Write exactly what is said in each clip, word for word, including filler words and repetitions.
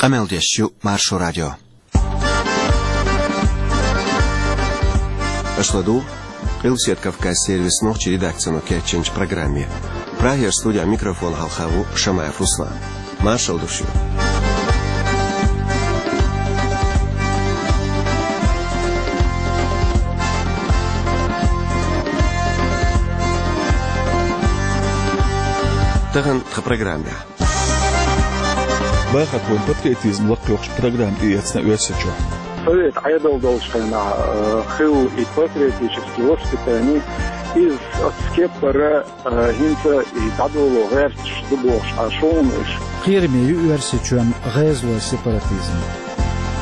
Къамел деш ю Маршо радио. Аша ладугӀу Къилбаседа Кавказан сервисан нохчийн редакцино кечйинчу программе. Прагера студехь микрофон хьалха ву Шамаев Руслан. Маршалла ду шуьга. Тахана тхан программехь. Бахархойн патриотизм лакхайоккхуш программа тӀеэцна Оьрсийчохь. Совет Ӏедал долчу хенахь, э, хилла и патриотический воспитание, иза оцу кепара, э, хӀинца и дӀадоло гӀерташ ду бохуш Ӏаш хӀума уьш. Кхераме ю Оьрсийчоьнан гӀезалойн сепаратизм.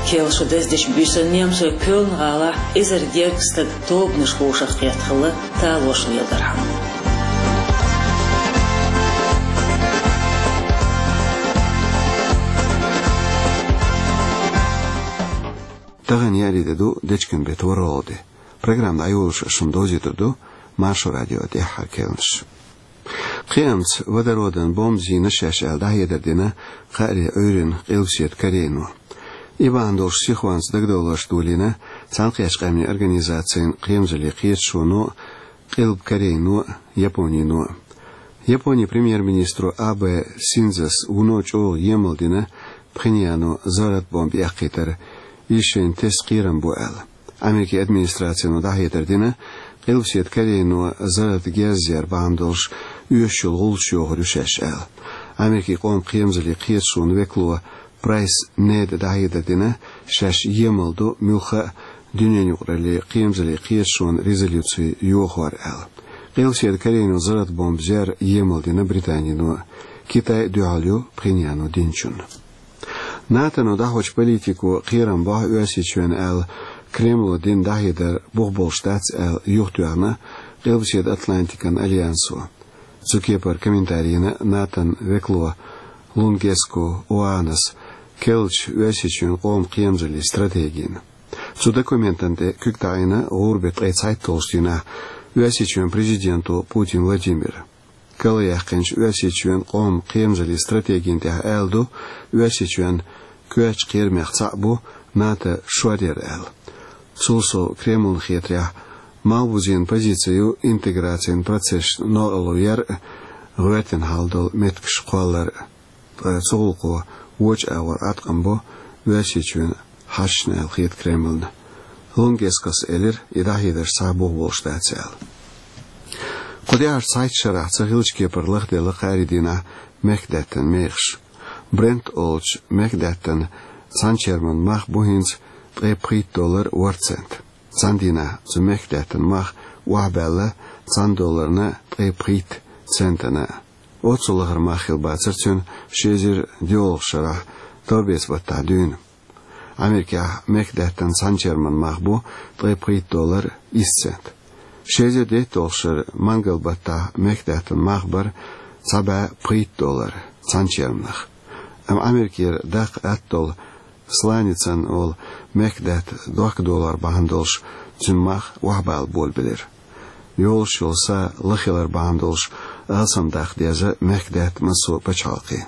Кхел шо даздечу буьйсанна немцойн Кёльн-гӀалахь эзар гергга стаг тобанаш хьошах кхетта хилла, талораш леладархьама. Тахана еарин де ду, дечкен беттан ворхӀалгӀа де. Программа дӀайолош шуна довзуьйтур ду Маршо радион тӀаьххьара кхаьънаш. Кхиамца водородан бомба зийна шаьш аьлла дӀахьедар дина кхаарин Ӏуьйранна Къилбаседа Корейно. И бахьана долуш сихонца дагадовларш долийна Цхьаьнакхеттачу Къаьмнийн Организацин кхерамзаллин кхеташоно, Къилба Корейно, Японино. Японин премьер-министро Абе Синдзос вуно чӀогӀа емал дина Пхеньяно заррат бомба эккхийтар, иза шайна тесна кхерам бу аьлла. Америкин администрацино дӀахьедар дина, Къилбаседа Корейно заррат герз яр бахьана долуш оьшуш йолу гӀуллакхаш йохур ю шаьш аьлла. Америкин къоман кхерамзаллин кхеташонан векало Прайс Неда дӀахьедар дина, шаьш емал ду муьлхха а дуьненан юкъараллин кхерамзаллин кхеташонан резолюци йохор аьлла. Къилбаседа Корейно заррат бомба зер емал дина Британино, Китай дуьхьал ю Пхеньяно динчунна. НАТОно дӀахьочу политико кхерам бохьу Оьрсийчоьнна аьлла, Кремло дина дӀахьедар бух болуш дац аьлла, юхатоьхна Къилбаседа Атлантикан альянсо. Цу кепара комментари йина НАТОн векало Лунгеско Оанас керлачу Оьрсийчоьнан къоман кхерамзаллин стратегина. Цу документана тӀе куьг таӀийна гӀуран беттан ткъе цхьайтталгӀачу дийнахь Оьрсийчоьнан президенто Путин Владимира. Карла яьккхинчу Оьрсийчоьнан къоман кхерамзаллин стратегина тӀехь аьлла ду, Оьрсийчоьнан коьртачу кхерамех цхьаъ бу НАТО шоръяр аьлла. Цул сов Кремлна хетарехь, малхбузенан позици ю интеграцин процессашна новкъарло яр а, гӀоьртина хьал долу меттигаш кхоллар а. Ткъа цу гӀуллакхо вочу агӀор Ӏаткъам бо Оьрсийчоьнан хьашташна аьлла хета Кремлна. Лунгескос элира, и дӀахьедарш цхьа а бух болуш дац аьлла. Кху тӀаьхьарчу цхьайтта шарахь ца хиллачу кепара лахделла кхаарин дийнахь мехкадаьттан мехаш. Брент олучу мехкадаьттан цхьанчерман мах бу хӀинца ткъе пхийтта доллар ворхӀ цент. Цхьана дийнахь цу мехкадаьттан мах охьабаьлла цхьана долларна ткъе пхийтта центана. Оццул лахара мах хилла бацара цуьнан ши эзар диъолгӀачу шарахь торбецан баттахь дуьйна. Америкехь мехкадаьттан цхьанчерман мах бу ткъе пхийтта доллар исс цент. Ши эзар дейтталгӀачу шарахь мангал баттахь мехкадаьттан мах бара цхьа бӀе пхийтта доллар цхьанчерманах. Амма Америкера даккха атта долу сланицин олу мехкадаьтта дохка долор бахьана долуш, цуьнан мах охьабала болабелира. Йолуш йолу са лахилар бахьана долуш, алсам даккха деза мехкадаьтта массо а пачхьалкхе.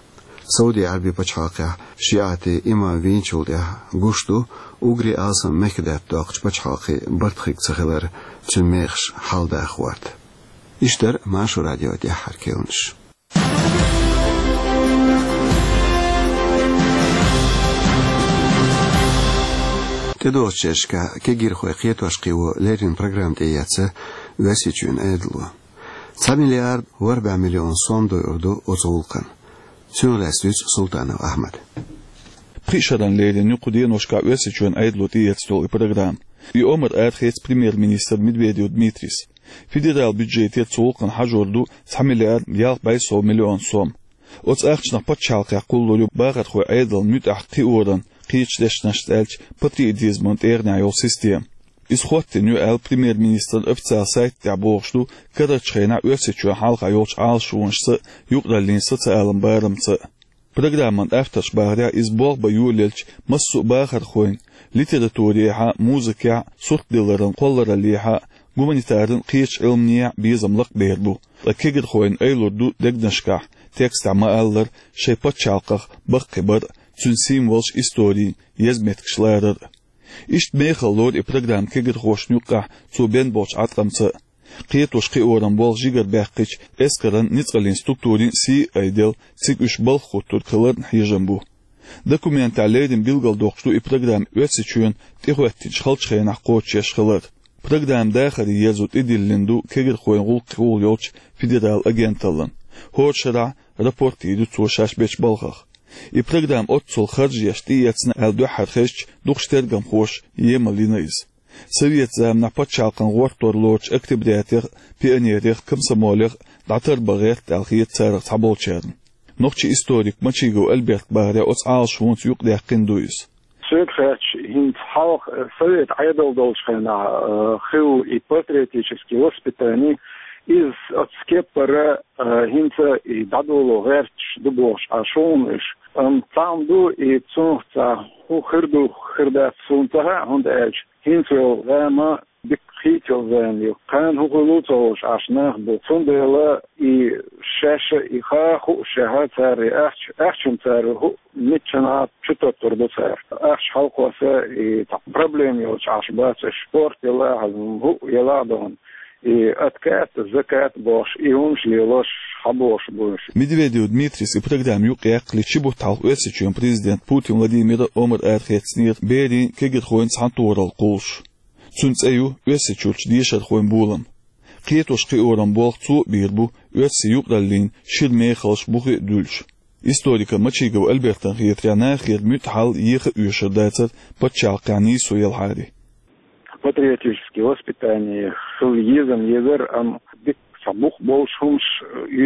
Сауди-Ӏаьрбийн пачхьалкхехь шиӀатийн имам вийначул тӀаьхьа гуш ду, уггаре алсам мехкадаьтта доккхучу пачхьалкхийн барт хирг ца хилар цуьнан мехаш хьалдаха гӀерта. Иштта дара Маршо радион тӀаьххьара кхаьънаш. ТӀедогӀучу шерашкахь кегирхой кхетош кхио леррина программа тӀеэцна Оьрсийчоьнан Ӏедало. Цхьа миллиард ворхӀ бӀе миллион сом дойур ду оцу гӀуллакхна. Цунах лаьцна дуьйцу Султанов Ахьмада. Пхи шарна леррина ю кху деношкахь Оьрсийчоьнан Ӏедало тӀеэцна долу и программа. И омра арахецна премьер-министр Медведев Дмитрийс. Федералан бюджетера цу гӀуллакхна хьажор ду цхьа миллиард ялх бӀе сов миллион сом. Оцу ахчанах пачхьалкхехь кхуллур ю бахархойн Ӏедална муьтӀахь кхиоран, кхечу дешнашца аьлча, патриотизман тӀегӀанехь йолу система. Иза хӀоттийна ю аьлла премьер-министран официалан сайта тӀехь бохуш ду карарчу хенахь Оьрсийчоьнна хьалха йолчу Ӏалашонашца а, юкъараллин социалан барамца а. Программан авторша бахарехь, иза болх бан йолаелча массо а бахархойн, литературехь а, музыкехь а, суртдилларан кхоллараллехь а, гуманитаран, кхечу Ӏилманехь а безам лакхабер бу. Ткъа кегирхойн айлур ду дегнашкахь, текстехь ма-аллара, шайн пачхьалкхах баккхийбар а, цуьнан символаш, истори, еза меттигаш ларар а. Иштта мехала лору и программа кегирхошна юккъехь цо бен болчу Ӏаткъамца а. Кхетош-кхиоран болх жигарабаьккхича, эскаран, ницкъаллин структурийн сий а айделла, цига уьш балха хӀуттург хиларна хьежам бу. Документехь леррина билгалдоккхуш ду и программа Оьрсийчоьнна тӀехӀоьттинчу халчу хенахь кхочушъеш хилар. Программа дахаре ерзо тӀедиллина ду кегирхойн гӀуллакхехула йолчу федералан агенталлина. ХӀора шарахь рапорт йийр ю цо шаьш бечу балхах. И программа оццул харж еш тӀеэцна аьлла дуьххьара хезча, дукхачу тергамхоша емал йина иза. Советан заманахь пачхьалкхан гӀортор лоручу октябрятех а, пионерех а, комсомолех а дӀатарбан гӀерта аьлла хета царах цхьаболчарна. Нохчийн историк Мачигов Альберта бахарехь, оцу Ӏалашонца юкъадаьккхина ду иза. Соьга хаьттича, хӀинца хьалха, э, совет Ӏедал долчу хенахь, э, хилла и патриотический воспитание, иза оцу кеппара, э, хӀинца и дӀадоло гӀерташ ду бохуш Ӏаш хьуна уьш. Амма цхьаъ ма ду, и цунах цхьа хӀун хир ду, хир дац, суна ца хаьа, хӀунда аьлча хӀинца йолу зама дика хийцалла зама ю. Кхана хӀун хуьлу ца хууш Ӏаш нах бу. Цундела и шаьш а и ха хууш шаьш а цара и ахча, ахчанна цара хӀу миччанхьа чу тоттур ду цара. Ахча хьалакхосса и цхьа проблема йолуш Ӏаш бац уьш. Спорт елахь а, хӀу елахь а дохна. И откат, закат бохуш, и хӀумаш лелош хьан бохуш бу уьш. Медведев Дмитрис и программа юкъаяьккхале, ши бутт хьалха Оьрсийчоьнан президент Путин Владимира омра арахецнера берийн, кегирхойн цхьаьнатохаралла кхуллуш. Цуьнан цӀе ю Оьрсийчуьрчу дешархойн болам. Кхетош-кхиоран болх цо а бийр бу оьрсийн юкъараллин шира мехаллаш бухе а дуьллуш. Историка Мачигов Альбертан хетарехь, нахера муьтӀахь хьал еха а оьшур дацара пачхьалкхехь нийсо елахьара. Патриотический воспитание хила езам езара, амма дика цхьа бух болуш хӀумаш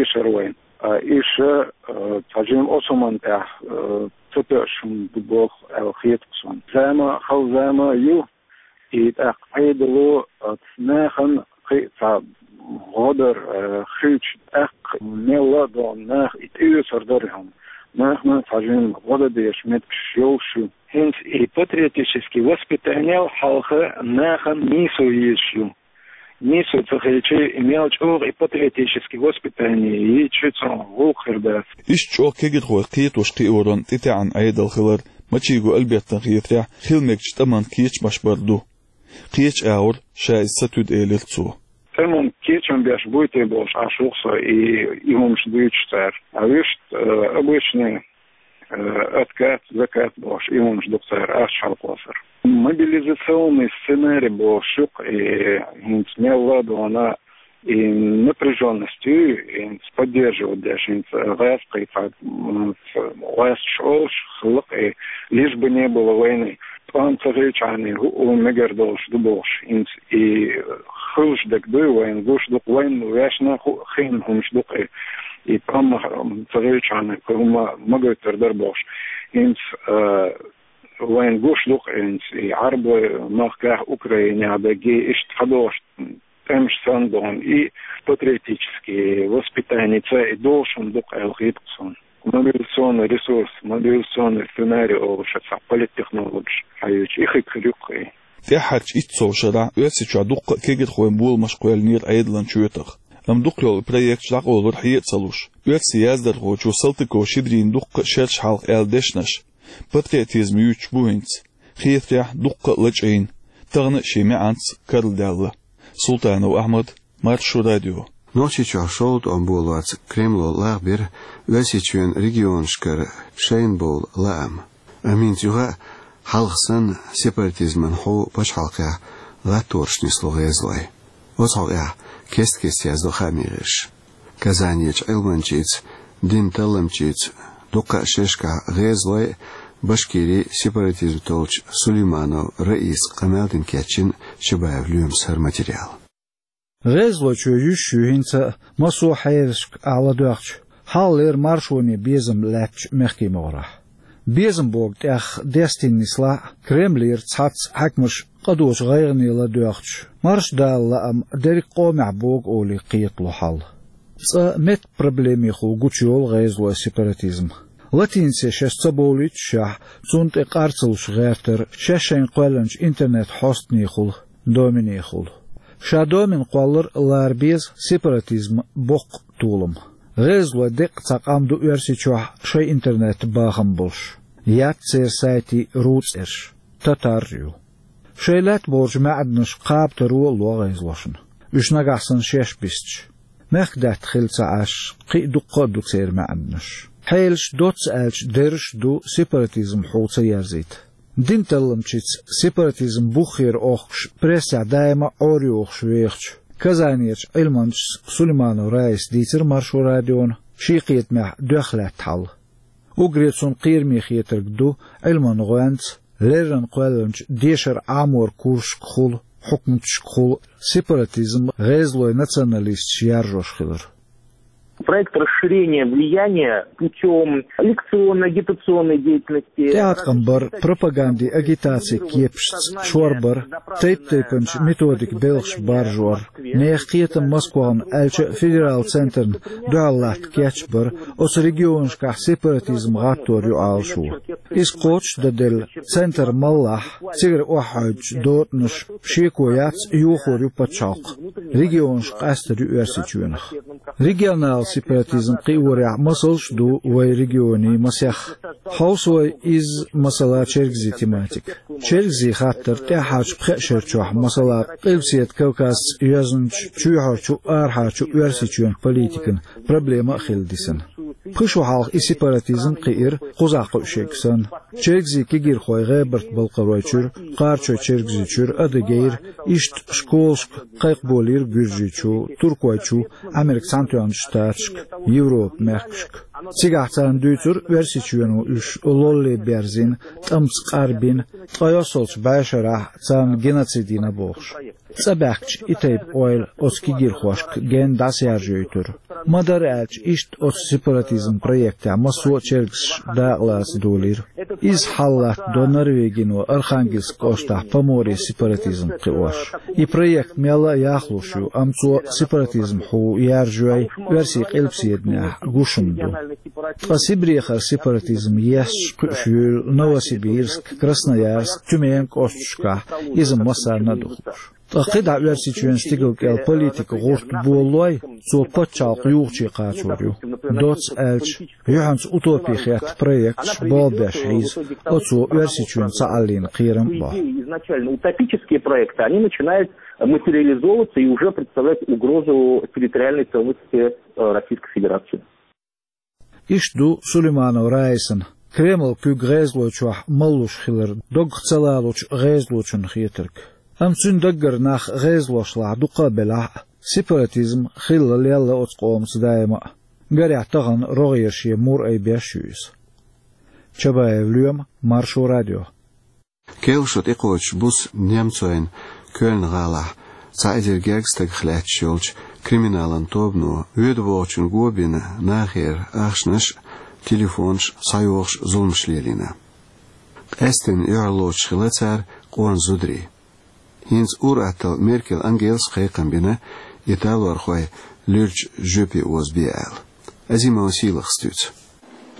оьшура вайна. А иша, э, цхьа жимма оцу хӀуманна тӀехь, э, ца тоьуш хӀума ду боху аьлла хета суна. Зама хала зама ю, и тӀаккха Ӏедало, э, нахана кхин а цхьа гӀо дар, э, хилча, тӀаккха мелла а догӀу нах и тӀеоьцур дара хьуна. Нахана цхьа жимма гӀо дан дезаш меттигаш йолуш ю. ХӀинца и патриотический воспитаниел хьалха нахана нийсо езаш ю. Нийсо ца хилча, и мел чӀогӀа и патриотический воспитание йийча, цунах гӀуллакх хир дац. Иштта чӀогӀа кегирхой кхетош-кхиоран тӀетаьӀна Ӏедал хилар Мачигов Альбертан хетарехь хила мегачу тӀаман кечамаш бар ду. Кхечу агӀор ша иза ца туьду, элира цо. ТӀеман кечам беш буй те бохуш Ӏаш ву-кх со и, и хӀумаш дуьйцуш цара. А вуьшта, э, обычный, э, откат, закат бохуш, и хӀумаш ду-кх цара ахча хьалакхоссар. Мобилизационный сценарий бохуш ю-кх и, хӀинца мелла а догӀу и напряжённость ю, хӀинца поддерживать деш, хӀинца гӀазкхий цхьа, м, гӀазкхий олуш хилла-кх и, лишь бы не было войны. ТӀом ца хилчахьана, хӀу а мегар долуш ду бохуш, хӀинца и хуьлуш дерг дуй, вайна гуш ду-кх, вайна вешна хӀу а хиъна хӀумаш ду-кх и. И тӀом ца хилчахьана, кху хӀума ма гойтур дара бохуш. ХӀинца, а, вайна гуш ду-кх хӀинца и Ӏарбойн махкахь, Украинехь дерг, иштта хьадогӀуш тӀемаш санна догӀу и патриотический воспитание ца и долуш хӀума ду-кх аьлла хета-кх суна. Мобилизационный ресурс, мобилизационный сценарий олуш цхьа политтехнологаш хьаьвча, и хиг хир ю-кх и. ТӀаьххьарчу итт сов шарахь Оьрсийчохь дуккха а кегирхойн боламаш кхоьллинера Ӏедалан чоьтах. Амма дукхахйолу проекташ дӀакъовлура хье а ца луш. Оьрсийн яздархочо Салтыков-Щедрина дуккха а шераш хьалха аьлла дешнаш патриотизм юьйцуш бу хӀинца. Хетарехь, дуккха а лачкъийна, тахана а шен маьӀанца карладаьлла. Султанов Ахьмад, Маршо радио. Нохчийчохь шолгӀа тӀом болоца Кремло лагӀбира Оьрсийчоьнан регионашкара шайна бовла лаам. Амма хӀинца юха а, хьалха санна, сепаратизман хьу пачхьалкхехь гӀаттораш нисло гӀезалой. Оцу хьокъехь кест-кеста яздо хаамийн гӀирсаша. Казанерчу Ӏилманчица, динан талламчица, дуккха а шерашкахь гӀезалой а, Башкирин сепаратизм толлучу Сулейманов Раиса къамел дина кечйина Чабаев Лоьмас хӀара материал. ГӀезалочо юьсуш ю хӀинца а, массо а хьерашка ахь ладоьгӀча, хьалхалера маршоне безам лаьттачу мехкийн могӀарехь. Безам богу тӀех дестийна нислахь а, Кремлера цхьацца хьаькамаша къа доцу гӀайгӀане ладоьгӀча, марша Дала лаам дерриг къомехь богу олий кхетало хьал. Цкъа меттан проблемехула гучуйолу гӀезалойн сепаратизм. Латинице шаьш ца бовлуьйтушехь, цунна тӀе къар ца луш гӀертара шаьш шайна кхоьллинчу интернет-хьостанехула, доменехула. Ша домен кхоллар лара беза сепаратизман боккха толам. ГӀезалойн деккъа цхьа къам ду Оьрсийчохь шайн интернет-бахам болуш. Яц церан сайтий руцӀерш, татараш ю. Шайн лаьтта болчу маьӀданаш кхаба таро а ло гӀезалошна. Уьш нагахь санна шаьш бисча, мехкдаьтта хилла ца Ӏаш, кхин а дуккха а ду церан маьӀданаш. Хьелаш, доцца аьлча, дерриш а ду сепаратизм хьул ца ерзийта. Динан талламчица сепаратизм буххера охкуш прессехь даима а Ӏорайохуш вехачу Казанерчу Ӏилманчас Сулейманова Раисас дийцира Маршо радиона шен кхетамехь доьхна лаьтта хьал. Уггаре цунна кхераме хетарг ду Ӏилманан гӀоьнца леррина кхоьллинчу дешаран Ӏаморан курсашкахула, хьукматашкахула сепаратизм гӀезалойн националисташа яржош хилар. Проект расширения влияния путём лекционно-агитационной деятельности. ТӀеӀаткъам бар, пропагандин агитацин кепашца шорбар, тайп-тайпанчу методикан белхаш баржор, нехан кхетам Москвахна аьлча а федералан центрна дуьхьал латта кечбар, оцу регионашкахь сепаратизм гӀаттор ю Ӏалашо. Иза кхочушдан делла центр маллахь, цигара охьахьуьйтучу дотӀанаш шеко яц, йохор ю пачхьалкх, регионаш къастар ю Оьрсийчоьнах. Регионал сепаратизм кхиорехь масалш а ду вайн регионийн масех. Хьовса вай изза, масала, Чергазийн тематика. Чергазийн хаттар тӀаьххьарчу пхеа шеран чохь, масала, Къилбаседа Кавказца йоьзначу чоьхьарчу а, арахьарчу а Оьрсийчоьнан политикан проблема а хилла дисина. Пхи шо хьалха и сепаратизм кхиира, кхузахь кхуьу шега санна. Чергазийн кегийрхой ГӀебарта-Балкхаройчуьра, Кхарачой-Чергазийчуьра, Адыгейра, иштта школашка кхайкхаболийра Гуьржийчу, Туркойчу, Ӏамеркан Цхьаьнатоьхначу Штаташка, Европан мехкашка. Цигахь царна дуьйцура, Оьрсийчоьно уьш лолле берзийна, тӀамца къарбина, ткъе йоьссалгӀачу бӀешарахь царна геноцид йина бохуш. ЦӀа баьхкича и тайпа ойла оцу кегийрхошка генна дӀасаяьржойтура. Ма-дарра аьлча, иштта оцу сепаратизм проектехь массо а чергазаш дакъалаца долийра. Изза хьал латтадо Норвегино Архангельск кӀоштахь Поморье сепаратизм кхиош. И проект мелла а яхлуш ю, амма цо сепаратизм хьул яржой, оьрсийн къилбаседанехь гуш хӀума ду. Ткъа Сибрехара сепаратизм есташ кхуьуш юйла Новосибирск, Красноярск, Тюмень кӀошташкахь, иза массарна а ду хууш. Ткъа кхидӀа Оьрсийчоьнан стигала кӀел политикан гӀурт болалой, цо пачхьалкх юхаче кхачор ю. Доцца аьлча, юьхьанца утопи хетта проекташ болх беш хьийза, оцо Оьрсийчоьнан цхьааллина кхерам а бо. Изначально утопические проекты, они начинают материализовываться и уже представлять угрозу территориальной целостности, э, Российской Федерации. Иштта ду Сулейманова Раисана Кремлан куьг гӀезалойчохь маллуш хилар доггах ца лалучу гӀезалочунна хетарг. Амма цуьнан даггара нах гӀезалошлахь дукха а белахь а, сепаратизм хилла лелла оцу къомаца даима а. Гарехь, тахана рогӀера шен мур айбеш ю иза. Чабаев Лоьма, Маршо радио. Керла шо тӀекхочуш буса немцойн Кёльн-гӀалахь цхьа эзар гергга стагах лаьтташ йолчу криминалан тобано воьду-вогӀучун го бина нахера ахчанаш а, телефонаш а схьайохуш зуламаш лелийна. Къаьсттина уьхьарлоцуш хилла цара къона зударий. ХӀинца ур-атталла Меркель Ангелас кхайкхам бина, италорхой луьрачу жоьпе озабе аьлла. Азимова Сийлахас дуьйцу.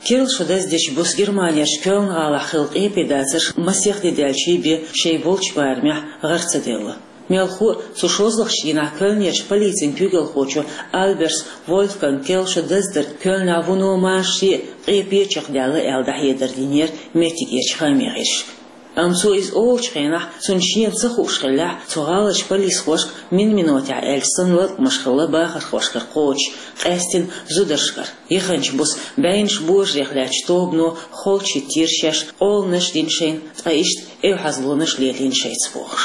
Керла шо даздечу буса Германерчу Кёльн-гӀалахь хилла къепедацарш масех де даьлчий бен шайн болчу барамехь гӀар ца делла. Мелхо а, цу шозлагӀчу дийнахь Кёльнерчу полицин куьйгалхочо Альберс Вольфганга керла шо даздар Кёльнехь вуно машаре а, къепе а чекхдаьлла аьлла дӀахьедар динера меттигерчу хааман гӀирсашка. Амма цо иза олучу хенахь, цунна шена ца хууш хиллехь, цу гӀаларчу полисхошка мин-минотехь аьлча санна латкъамаш хилла бахархошкара кхочуш, къаьсттина зударшкара. Яханчу буса бӀеннаш божарех лаьттачу тобано холчу хӀиттийра шаьш, къоланаш дина шайна, ткъа иштта эвхьазлонаш лелийна шайца бохуш.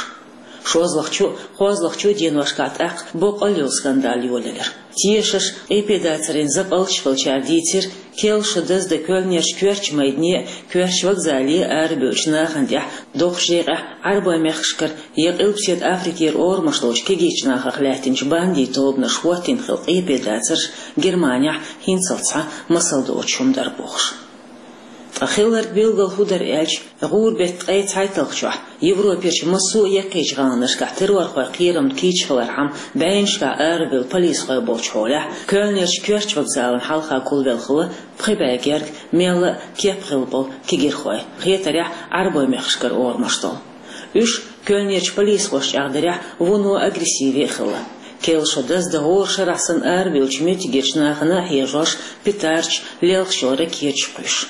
ШозлагӀчу а, кхозлагӀчу а деношкахь тӀаккха боккъал йолу скандал йолаелира. Тешаш, къепедацарийн закъалташ хилчара дийцира, керла шо даздан Кёльнерчу коьртачу майдане а, коьртачу вокзале а арабевллачу нахана тӀехь доккхачу декъехь Ӏарбойн мехкашкара я Къилбаседа Африкера орамаш долчу кегийчу нахах лаьттинчу бандийн тобанаша хӀоттийна хилла къепедацарш Германехь хӀинццалц цхьа масал доцуш хӀума дара бохуш. Ткъа хилларг билггал хӀун дара аьлча, гӀуран беттан ткъе цхьайтталгӀачохь Европерчу массо а яккхийчу гӀаланашкахь террорхойн кхерамна кийча хилархьама, бӀеннашкахь арабевлла полисхой болчу хьолехь, Кёльнерчу коьртачу вокзалан хьалха гулвелла хилла пхи бӀе герга, мелла а кеп хилла болу кегийрхой, хетарехь, Ӏарбойн мехкашкара орамаш долу. Уьш, Кёльнерчу полисхошна чӀагӀдарехь, вуно агрессиве а хилла. Керла шо даздан хӀора шарахь санна арабевллачу меттигерчу нахана а хьежош, петардаш, лелхаш йолу ракеташ кхуьйсуш.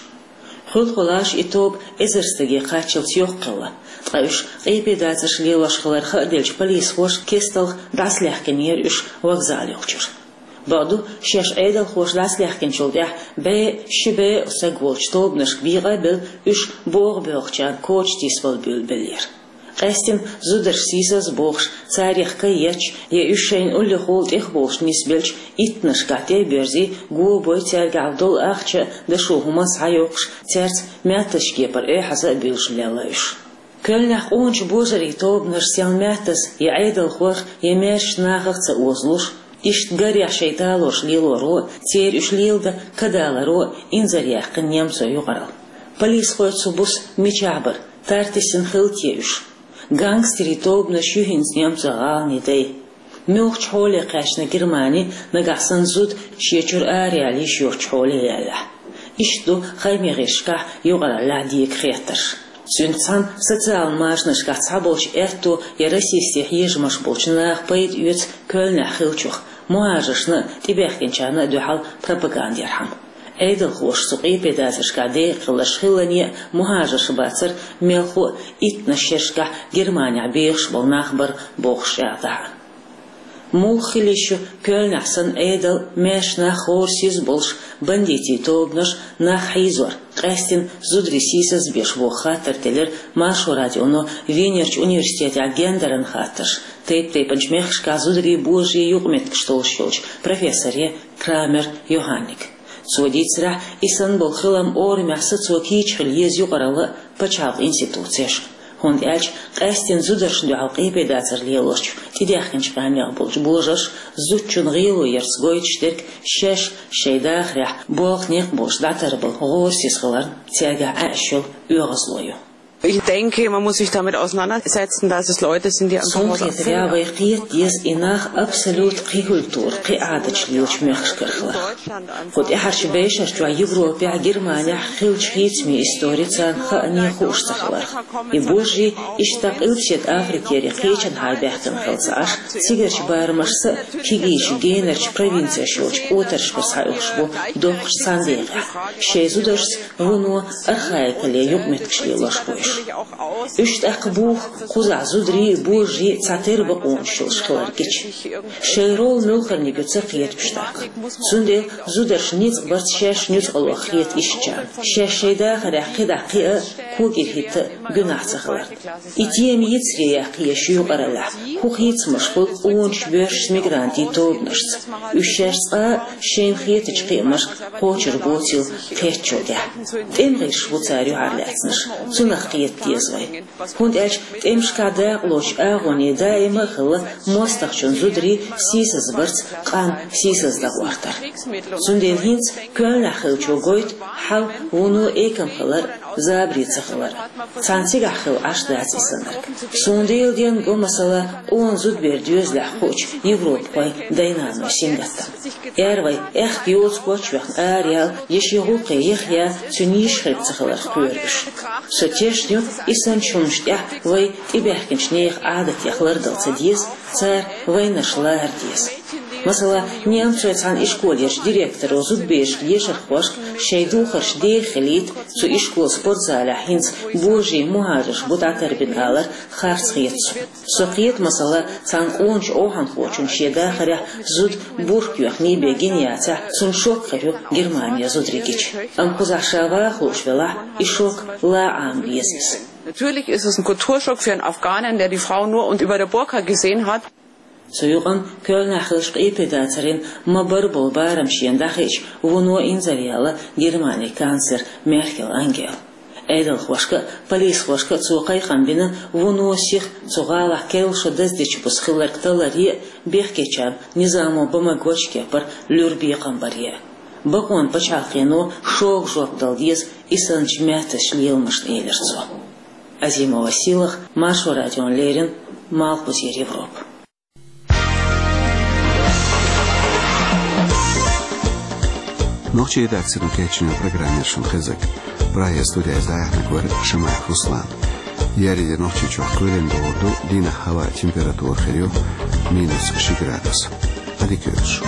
Хуьлхулаш и тоба эзар стаге кхаччалц йоккха хилла, ткъа уьш къепедацарш лелош хилар хааделча полисхоша кестта дӀасалаьхкинера уьш вокзал йолчуьра. Бакъду, шаьш Ӏедалхоша дӀасалаьхкинчул тӀаьхьа бӀе, ши бӀе стаг волчу тобанашка бекъа а белла, уьш богӀу боьлхучарна коча тийсабала буьйлабеллера. Къаьстина зударш сийсаза бохуш, царех кхайкхийча, я уьш шайна уллехула тӀехболуш нисбелча, иттанашкахь тӀе а боьрзий, го а бой цаьргахь долу ахча а, дашо хӀума а схьайоккхуш, цаьрца маьттазчу кепара эхьаза а буьйлуш лелла уьш. Коьльнехь къоначу божарийн тобанаш сел маьттаза я Ӏедалхойх, я маьршачу нахах ца озалуш, иштта гарехь шайн талорш лелоро а, церан уьш леладан кадаларо а инзаръяьккхина немцойн юкъаралла. Полисхой цу буса мичахь бара, тартисина хилла те уьш? Гангстерийн тобанаш ю хӀинца немцойн гӀаланийн дай. Муьлхачу хьоле кхаьчна Германи, нагахь санна зуда шен чуьра араяьлла йиш йоцучу хьоле яьллехь? Иштта ду хӀокху гӀирсашкахь юкъараллехь дега хеттарш. Цуьнца цхьаьна социалан машанашкахь цхьаболчу аьтто я расистийн хьежамаш болчу наха пайда оьцу Коьльнехь хиллачух, мухӀажаршна а, тӀебаьхкинчарна а дуьхьал пропаганда ярхьама. Ӏедалхоша цу къепедацаршкахь декъахь хилларш хиллане а мухӀажарш бацара, мелхо а иттанаш шерашкахь Германехь бехаш болу нах бара бохуш чӀагӀдахь а. Муха хила йиш ю Коьльнехь санна Ӏедал, маьрша нах хӀора сиз болуш, бандитийн тобанаш нах хьийзор, къаьстина зударий сийсазбеш боху хаттар теллира Маршо радионо Венерчу университетехь гендеран хаттарш, тайп-тайпанчу мехкашкахь зударий, божарий юкъаметтигаш толлуш йолчу профессоре Крамер Йоханнега. Цо дийцарехь, и санна болу хилам орамехь сацо кийча хила еза юкъаралла а, пачхьалкхан институцеш а. ХӀунда аьлча къаьстина зударшна дуьхьал къепедацар лелочу тӀедаьхкинчу къаьмнех болчу божарша зудчун гӀело ярца гойтуш дерг шаьш шайн дахарехь болх некъ болуш дӀатарбала гӀорасиз хиларна цаьргахь Ӏаьаш йолу оьгӀазло ю. Ich denke, man muss sich damit auseinandersetzen, dass es Leute sind, die einfach Суна хетарехь, вай кхета деза и нах абсолют кхин культура, кхин Ӏадаташ лелачу мехкашкара хилар. Кху тӀаьхьарчу бешарчохь Европехь, Германехь хиллачу хийцамийн истори царна хаане хууш ца хилар. И божарий иштта Къилбаседа Африкера кхечанхьара баьхкина хилла ца Ӏаш, цигарчу барамашца а, кегийчу генарчу провинцеш йолчу кӀотаршкара схьаоьхуш бу доккхачу цхьана декъехь, шайн зударшца вуно архаикале юкъаметтигаш лелош бу уьш. Уьш тӀаккха буха кхузахь зударий а, божарий а цхьатерра бакъонаш йолуш хилар гича. Шайн роль муьлхарниг ю ца кхеташ уьш тӀаккха. Цундела зударшна ницкъ барца шаьш нуьцкъала хета ишттачарна, шаьш шайн дахарехь кхидӀа кхиа а, кокӀира хӀитта а гуьнахь ца хиларна. И тема йицаре яккха еза шу юкъараллехь, хӀун хийцамаш хуьлу къоначу боьршачу мигрантийн тобанашца. Уьш шаьш цкъа а шайна хетачу кхиамашка кхочур боцийла кхеттачул тӀаьхьа. ТӀеман гӀирсаш бу цара юьхьарлаьцнарш, цунах кхета деза вай. ХӀунда аьлча тӀемашкахь дакъалоцучу агӀоне даима а хилла мостагӀчун зударий сийсазбарца къам сийсаздан гӀортар. Цундела хӀинца Коьльнехь хиллачо гойту хьал вуно экам хилар а, забаре ца хилар а. Цхьана цигахь хилла Ӏаш дац и саннарг. Суна Делан денна го, масала, къона зудабер доьзалехь хуучу европахойн дай-наной сингаттам. Эр вай, аьхка йоцу коч а йоьхна араяьлла, я шен гӀуллакхе яха а яьлла, цуьнан йиш хирг ца хиларх кхоьру уьш. Со тешна ю, и санначу хӀуманаш тӀехь вай тӀебаьхкинчу нехан Ӏадатех лардала ца деза, цара вайнарш лара деза. Масала, немцойн цхьана ишколерчу директоро зудаберашка, ешархошка шайн духарш деха хилийта, цу ишколан спортзалехь хӀинца божарий, мухӀажарш бу дӀатарбина алар харц хета суна. Со кхета, масала, цхьана къоначу охьанхочунна шен дахарехь зуда бурка йоьхний бен гина яцахь, цунна шок хир ю Германе зударий гича. Амма кхузахь ша ваха лууш велахь, и шок ла Ӏама деза иза. Natürlich ist es ein Kulturschock für einen Afghanen, der die Frau nur und über der Burka gesehen hat. Цу юкъанна Коьльнехь хиллачу къепедацаран ма-барра болу барам шена дӀахиъча, вуно инзаръяьлла Германин канцлер Меркел Ангела. Ӏедалхошка а, полисхошка а цо кхайкхам бина вуно сиха цу гӀалахь керла шо даздечу буса хилларг таларе а, бехкечарна низамо бан магочу кепара луьра бекхам баре а. Бакъонан пачхьалкхено шога жоп дала деза и санначу маьттазчу леламашна, элира цо. Азимова Сийлаха, Маршо радиона леррина, Малхбузера Европа. Нохчийн редакцино кечйина программа яра шуна хезнарг. Прагера студехь дӀаяьхьнарг вара Шамаев Руслан. Еарин де Нохчийчохь кхоьлина догӀур ду, дийнахь хӀаваан температура хир ю минус ши градус. Ӏадика йойла шун.